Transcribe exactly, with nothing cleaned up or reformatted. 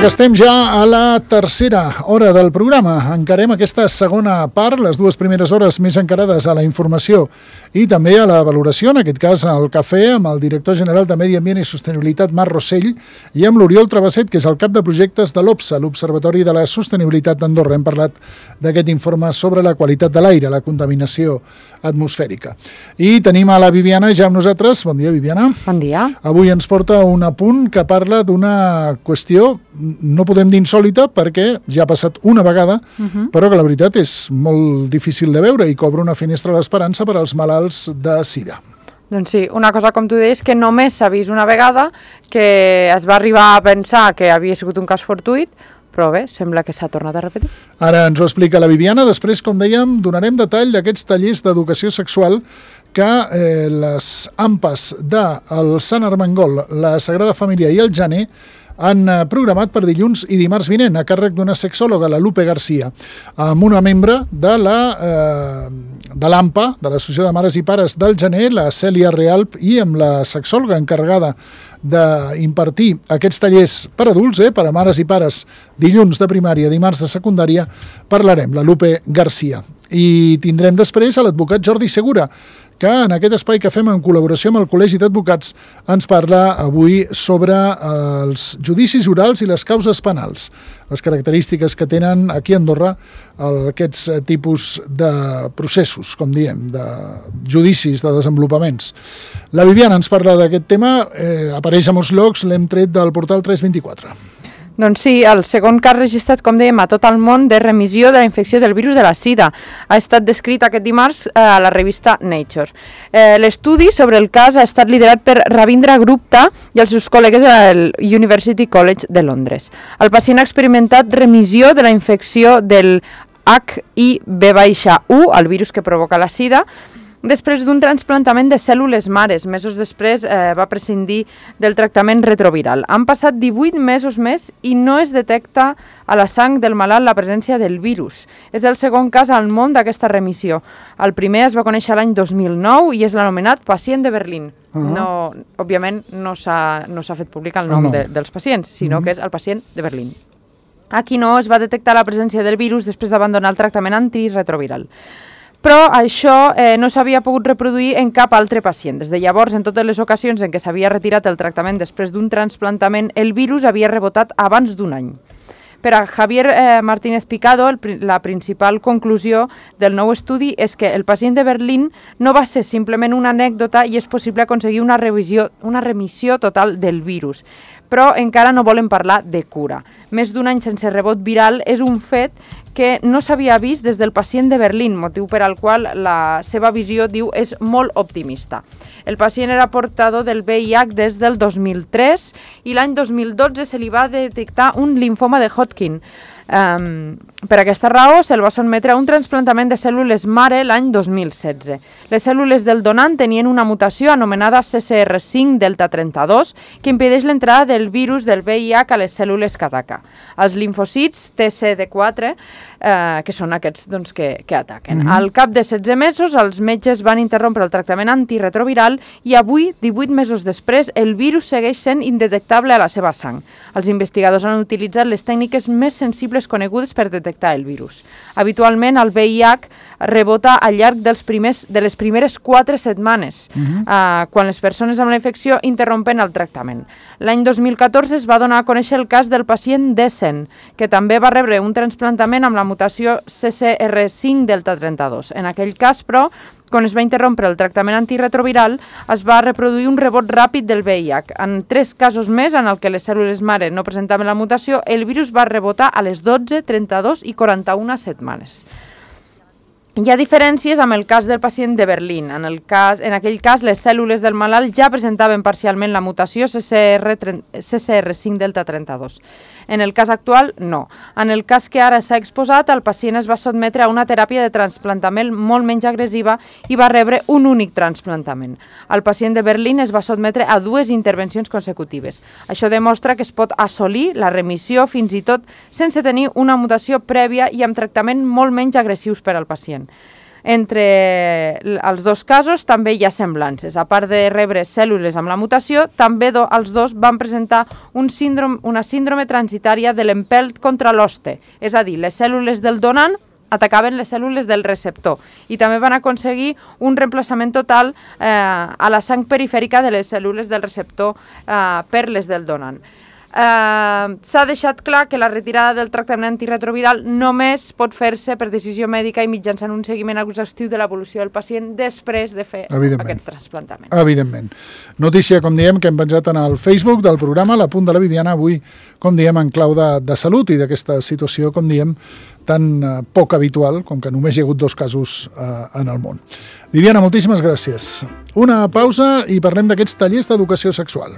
que estem ja a la tercera hora del programa. Encarem aquesta segona part, les dues primeres hores més encarades a la informació i també a la valoració, en aquest cas al cafè, amb el director general de Medi Ambient i Sostenibilitat, Marc Rossell, i amb l'Oriol Travesset, que és el cap de projectes de l'OPSA, l'Observatori de la Sostenibilitat d'Andorra. Hem parlat d'aquest informe sobre la qualitat de l'aire, la contaminació atmosfèrica. I tenim a la Viviana ja amb nosaltres. Bon dia, Viviana. Bon dia. Avui ens porta un apunt que parla d'una qüestió, no podem dir insòlita perquè ja ha passat una vegada, uh-huh. però que la veritat és molt difícil de veure i que obre una finestra a l'esperança per als malalts de sida. Doncs sí, una cosa com tu deies que només s'ha vist una vegada, que es va arribar a pensar que havia sigut un cas fortuït, però bé, sembla que s'ha tornat a repetir. Ara ens ho explica la Viviana. Després, com dèiem, donarem detall d'aquests tallers d'educació sexual que eh, les AMPAs del Sant Armengol, la Sagrada Família i el Gener han programat per dilluns i dimarts vinent a càrrec d'una sexòloga, la Lupe Garcia, amb una membre de la eh, de l'AMPA, de l'Associació de Mares i Pares del Gener, la Cèlia Realp, i amb la sexòloga encarregada d'impartir aquests tallers per adults, eh, per a mares i pares, dilluns de primària, dimarts de secundària, parlarem, la Lupe Garcia. I tindrem després a l'advocat Jordi Segura, que en aquest espai que fem en col·laboració amb el Col·legi d'Advocats ens parla avui sobre els judicis orals i les causes penals, les característiques que tenen aquí a Andorra aquests tipus de processos, com diem, de judicis, de desenvolupaments. La Viviana ens parla d'aquest tema, eh, apareix a molts llocs, l'hem tret del portal tres vint-i-quatre. Doncs sí, el segon cas registrat, com dèiem, a tot el món de remissió de la infecció del virus de la sida. Ha estat descrit aquest dimarts a la revista Nature. Eh, L'estudi sobre el cas ha estat liderat per Ravindra Gupta i els seus col·legues del University College de Londres. El pacient ha experimentat remissió de la infecció del H I V u, el virus que provoca la sida, després d'un trasplantament de cèl·lules mares. Mesos després eh, va prescindir del tractament retroviral. Han passat divuit mesos més i no es detecta a la sang del malalt la presència del virus. És el segon cas al món d'aquesta remissió. El primer es va conèixer l'any dos mil nou i és l'anomenat pacient de Berlín. Uh-huh. No, òbviament no s'ha no s'ha fet públic el nom uh-huh. de, dels pacients, sinó uh-huh. que és el pacient de Berlín. Aquí no es va detectar la presència del virus després d'abandonar el tractament antiretroviral. Però això eh, no s'havia pogut reproduir en cap altre pacient. Des de llavors, en totes les ocasions en què s'havia retirat el tractament després d'un trasplantament, el virus havia rebotat abans d'un any. Per a Javier eh, Martínez Picado, el, la principal conclusió del nou estudi és que el pacient de Berlín no va ser simplement una anècdota i és possible aconseguir una, revisió, una remissió total del virus. Però encara no volen parlar de cura. Més d'un any sense rebot viral és un fet que no s'havia vist des del pacient de Berlín, motiu per al qual la seva visió, diu, és molt optimista. El pacient era portador del V I H des del dos mil tres i l'any dos mil dotze se li va detectar un limfoma de Hodgkin. Um, per aquesta raó se'l va sotmetre a un trasplantament de cèl·lules mare l'any dos mil setze. Les cèl·lules del donant tenien una mutació anomenada C C R cinc delta trenta-dos que impedeix l'entrada del virus del V I H a les cèl·lules que ataca. Els limfòcits T C D quatre, eh, que són aquests doncs, que, que ataquen. Mm-hmm. Al cap de setze mesos els metges van interrompre el tractament antiretroviral i avui, divuit mesos després, el virus segueix sent indetectable a la seva sang. Els investigadors han utilitzat les tècniques més sensibles conegudes per detectar el virus. Habitualment el V I H rebota al llarg dels primers, de les primeres quatre setmanes, uh-huh. eh, quan les persones amb la infecció interrompen el tractament. L'any dos mil catorze es va donar a conèixer el cas del pacient Dessen, que també va rebre un trasplantament amb la mutació C C R cinc delta trenta-dos. En aquell cas, però, quan es va interrompre el tractament antiretroviral, es va reproduir un rebot ràpid del V I H. En tres casos més, en el que les cèl·lules mare no presentaven la mutació, el virus va rebotar a les dotze, trenta-dos i quaranta-una setmanes. Hi ha diferències amb el cas del pacient de Berlín. En, el cas, en aquell cas, les cèl·lules del malalt ja presentaven parcialment la mutació C C R cinc delta trenta-dos. En el cas actual, no. En el cas que ara s'ha exposat, el pacient es va sotmetre a una teràpia de trasplantament molt menys agressiva i va rebre un únic trasplantament. El pacient de Berlín es va sotmetre a dues intervencions consecutives. Això demostra que es pot assolir la remissió fins i tot sense tenir una mutació prèvia i amb tractament molt menys agressius per al pacient. Entre els dos casos també hi ha semblances. A part de rebre cèl·lules amb la mutació, també do, els dos van presentar un síndrome, una síndrome transitària de l'empelt contra l'hoste, és a dir, les cèl·lules del donant atacaven les cèl·lules del receptor i també van aconseguir un reemplaçament total eh, a la sang perifèrica de les cèl·lules del receptor eh, per les del donant. Eh, S'ha deixat clar que la retirada del tractament antirretroviral només pot fer-se per decisió mèdica i mitjançant un seguiment exhaustiu de l'evolució del pacient després de fer aquest trasplantament. Evidentment. Notícia, com diem, que hem penjat en el Facebook del programa La Punt de la Viviana, avui, com diem, en clau de, de salut i d'aquesta situació, com diem, tan eh, poc habitual com que només hi ha hagut dos casos eh, en el món. Viviana, moltíssimes gràcies. Una pausa i parlem d'aquests tallers d'educació sexual.